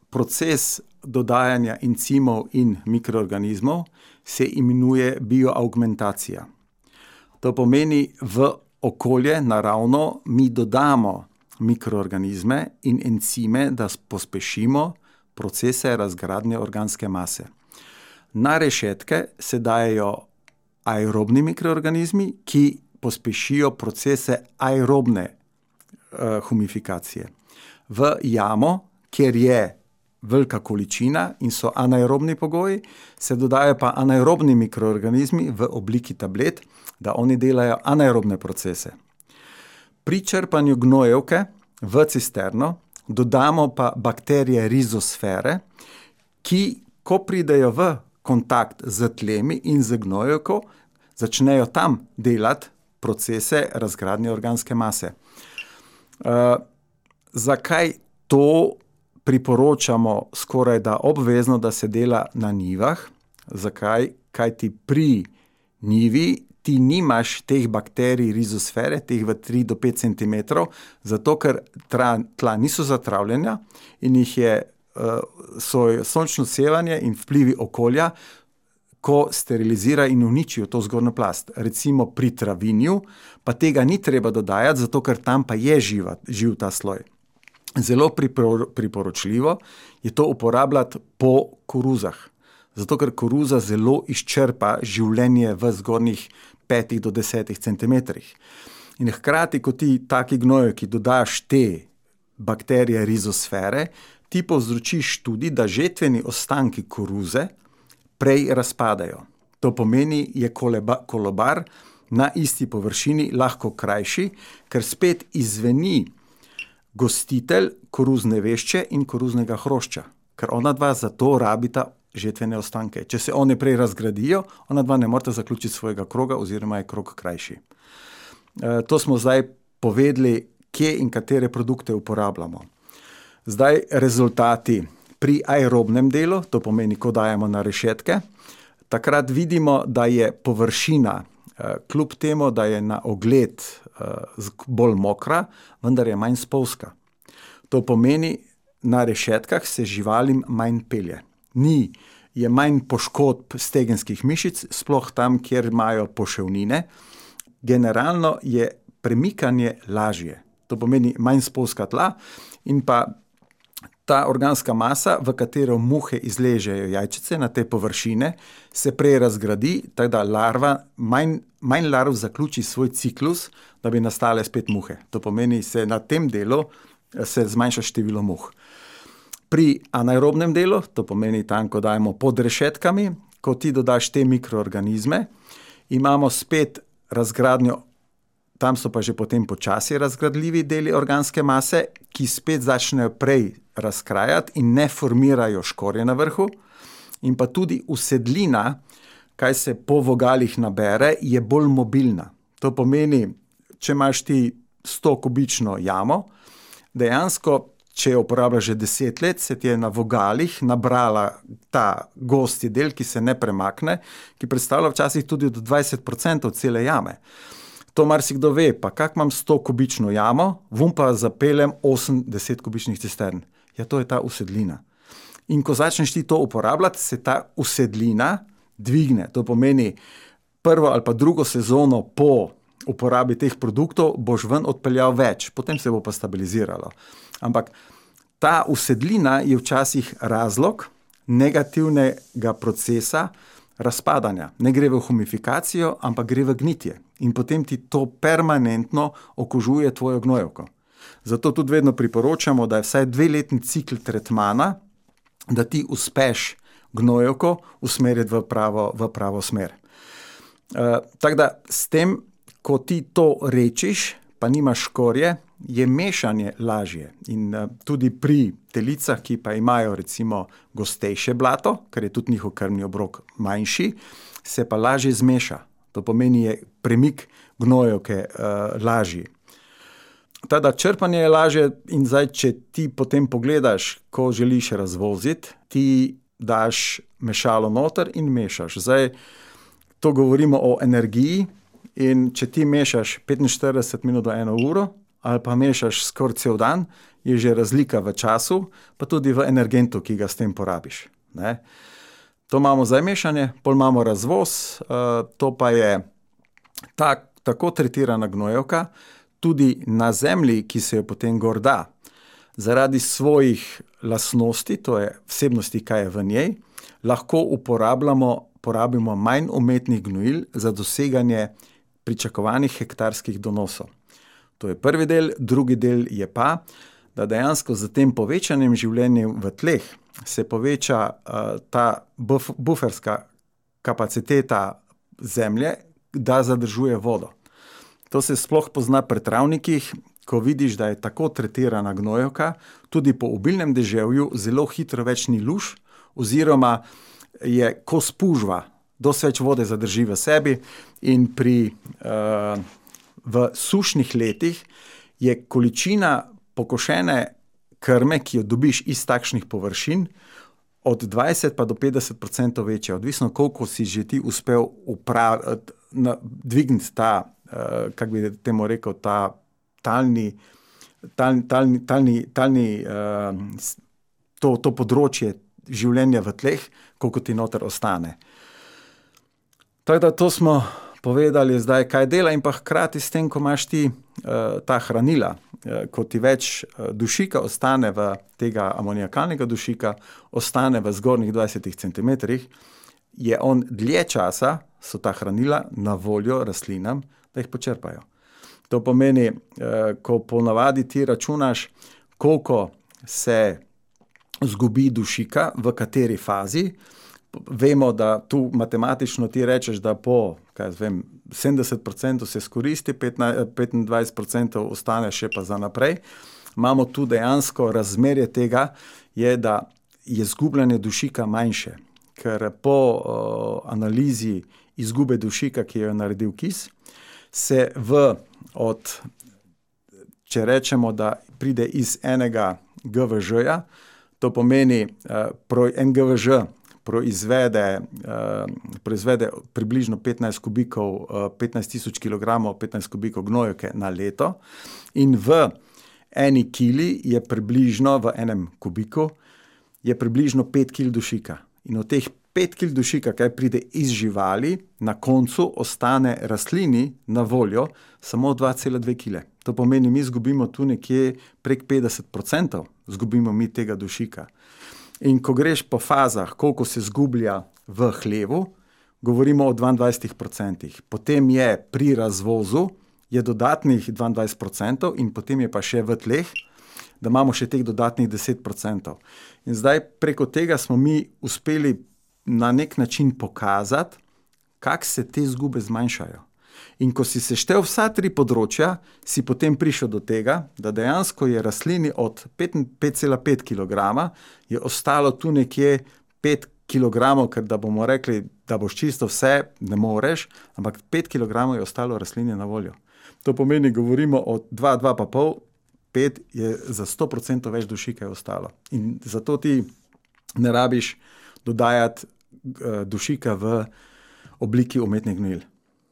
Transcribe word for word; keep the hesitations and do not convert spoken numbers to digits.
proces dodajanja encimov in mikroorganizmov se imenuje bioaugmentacija. To pomeni, v okolje naravno mi dodamo mikroorganizme in encime, da pospešimo procese razgradnje organske mase. Na rešetke se dajejo aerobni mikroorganizmi, ki pospešijo procese aerobne uh, humifikacije. V jamo, kjer je velika količina in so anaerobni pogoji, se dodajo pa anaerobni mikroorganizmi v obliki tablet, da oni delajo anaerobne procese. Pri črpanju gnojevke v cisterno dodamo pa bakterije rizosfere, ki, ko pridejo v kontakt z tlemi in z gnojevko, začnejo tam delati procese razgradnje organske mase. Uh, zakaj to priporočamo skoraj da obvezno, da se dela na njivah? Zakaj? Kajti pri njivi ti nimaš teh bakterij rizosfere, teh v tri do pet centimetrov, zato ker tla, tla niso zatravljena in jih je uh, so sončno sevanje in vplivi okolja, ko sterilizira in uničijo to zgornjo plast. Recimo pri travinju pa tega ni treba dodajati, zato ker tam pa je živa, živ ta sloj. Zelo priporočljivo je to uporabljati po koruzah, zato ker koruza zelo izčrpa življenje v zgornjih petih do desetih centimetrih. In hkrati, ko ti taki gnojevki dodaš te bakterije rizosfere, ti povzročiš tudi, da žetveni ostanki koruze prej razpadajo. To pomeni, je koleba, kolobar na isti površini lahko krajši, ker spet izveni gostitelj koruzne vešče in koruznega hrošča, ker ona dva zato rabita žetvene ostanke. Če se one prej razgradijo, ona dva ne morata zaključiti svojega kroga oziroma je krog krajši. E, to smo zdaj povedali, kje in katere produkte uporabljamo. Zdaj rezultati pri aerobnem delu, to pomeni, ko dajemo na rešetke, takrat vidimo, da je površina, kljub temu, da je na ogled bolj mokra, vendar je manj spolzka. To pomeni, na rešetkah se živalim manj pelje. Ni, je manj poškodb stegenskih mišic, sploh tam, kjer imajo poševnine. Generalno je premikanje lažje. To pomeni manj spolzka tla in pa ta organska masa, v katero muhe izležejo jajčice na te površine, se prej razgradi, tako da larva, manj, manj larv zaključi svoj ciklus, da bi nastale spet muhe. To pomeni, se na tem delu se zmanjša število muh. Pri anaerobnem delu, to pomeni tam, ko dajemo pod rešetkami, ko ti dodaš te mikroorganizme, imamo spet razgradnjo, tam so pa že potem počasi razgradljivi deli organske mase, ki spet začnejo prej razkrajati in ne formirajo škorje na vrhu. In pa tudi usedlina, kaj se po vogalih nabere, je bolj mobilna. To pomeni, če imaš ti sto kubično jamo, dejansko, če jo uporabljaš že deset let, se ti je na vogalih nabrala ta gosti del, ki se ne premakne, ki predstavlja včasih tudi do dvajset procentov cele jame. To marsikdo ve, pa kak imam sto kubično jamo, vum pa zapeljem osem do deset kubičnih cistern. Ja, to je ta usedlina. In ko začneš ti to uporabljati, se ta usedlina dvigne. To pomeni, prvo ali pa drugo sezono po uporabi teh produktov boš ven odpeljal več, potem se bo pa stabiliziralo. Ampak ta usedlina je včasih razlog negativnega procesa razpadanja. Ne gre v humifikacijo, ampak gre v gnitje. In potem ti to permanentno okužuje tvojo gnojevko. Zato tudi vedno priporočamo, da je vsaj dveletni cikl tretmana, da ti uspeš gnojevko usmeriti v pravo, v pravo smer. E, tako da s tem, ko ti to rečiš, pa nimaš škorje, je mešanje lažje. In uh, tudi pri telicah, ki pa imajo recimo gostejše blato, ker je tudi njihov krvni obrok manjši, se pa lažje zmeša. To pomeni, je premik gnojevke uh, lažji. Tada črpanje je lažje in zdaj, če ti potem pogledaš, ko želiš razvoziti, ti daš mešalo noter in mešaš. Zdaj, to govorimo o energiji in če ti mešaš petinštirideset minut do eno uro, ali pa mešaš skoraj cel dan, je že razlika v času, pa tudi v energentu, ki ga s tem porabiš. Ne? To imamo za mešanje, pol imamo razvoz, to pa je tak, tako tretirana gnojevka, tudi na zemlji, ki se jo potem gor da, zaradi svojih lastnosti, to je vsebnosti, kaj je v njej, lahko uporabljamo, porabimo manj umetnih gnojil za doseganje pričakovanih hektarskih donosov. To je prvi del, drugi del je pa, da dejansko z tem povečanjem življenja v tleh se poveča uh, ta buf, buferska kapaciteta zemlje, da zadržuje vodo. To se sploh pozna pri travnikih, ko vidiš, da je tako tretirana gnojevka, tudi po obilnem deževju zelo hitro več ni luž, oziroma je ko spužva, dosti več vode zadrži v sebi in pri, uh, v sušnih letih je količina pokošene krme, ki jo dobiš iz takšnih površin, od dvajset pa do petdeset procentov večja, odvisno koliko si že ti uspel upraviti, dvigniti ta, uh, kako bi temu rekel, ta talni, talni, talni, talni, talni uh, to, to področje življenja v tleh, koliko ti noter ostane. Tako da to smo povedali zdaj, kaj dela in pa hkrati s tem, ko imaš ti uh, ta hranila, uh, ko ti več uh, dušika ostane v tega amoniakalnega dušika, ostane v zgornjih dvajsetih centimetrih, je on dlje časa, so ta hranila na voljo rastlinam, da jih počrpajo. To pomeni, uh, ko ponavadi ti računaš, koliko se zgubi dušika, v kateri fazi. Vemo, da tu matematično ti rečeš, da po kaj vem, sedemdeset procentov se skoristi, petindvajset procentov ostane še pa za naprej. Imamo tu dejansko razmerje tega, je, da je izgubljanje dušika manjše, ker po uh, analizi izgube dušika, ki jo je naredil kis, se v od, če rečemo, da pride iz enega G V Ž-ja, to pomeni uh, pro, en G V Ž proizvede, uh, proizvede približno petnajst kubikov, uh, petnajst tisoč kilogramov, petnajst kubikov gnojevke na leto in v eni kili je približno, v enem kubiku, je približno pet kil dušika. In od teh pet kil dušika, kaj pride iz živali, na koncu ostane rastlini na voljo samo dva cela dve kile. To pomeni, mi zgubimo tu nekje prek petdeset procentov, zgubimo mi tega dušika. In ko greš po fazah, koliko se zgublja v hlevu, govorimo o dvaindvajsetih procentih. Potem je pri razvozu je dodatnih dvaindvajset procentov in potem je pa še v tleh, da imamo še teh dodatnih deset procentov. In zdaj preko tega smo mi uspeli na nek način pokazati, kako se te zgube zmanjšajo. In ko si seštel vsa tri področja, si potem prišel do tega, da dejansko je rastlini od pet cela pet kilograma je ostalo tu nekje pet kilogramov, ker da bomo rekli, da boš čisto vse, ne moreš, ampak pet kilogramov je ostalo rastlini na voljo. To pomeni, govorimo o dva, dva pa pol, pet je za sto procentov več dušika je ostalo. In zato ti ne rabiš dodajati uh, dušika v obliki umetnih gnojil.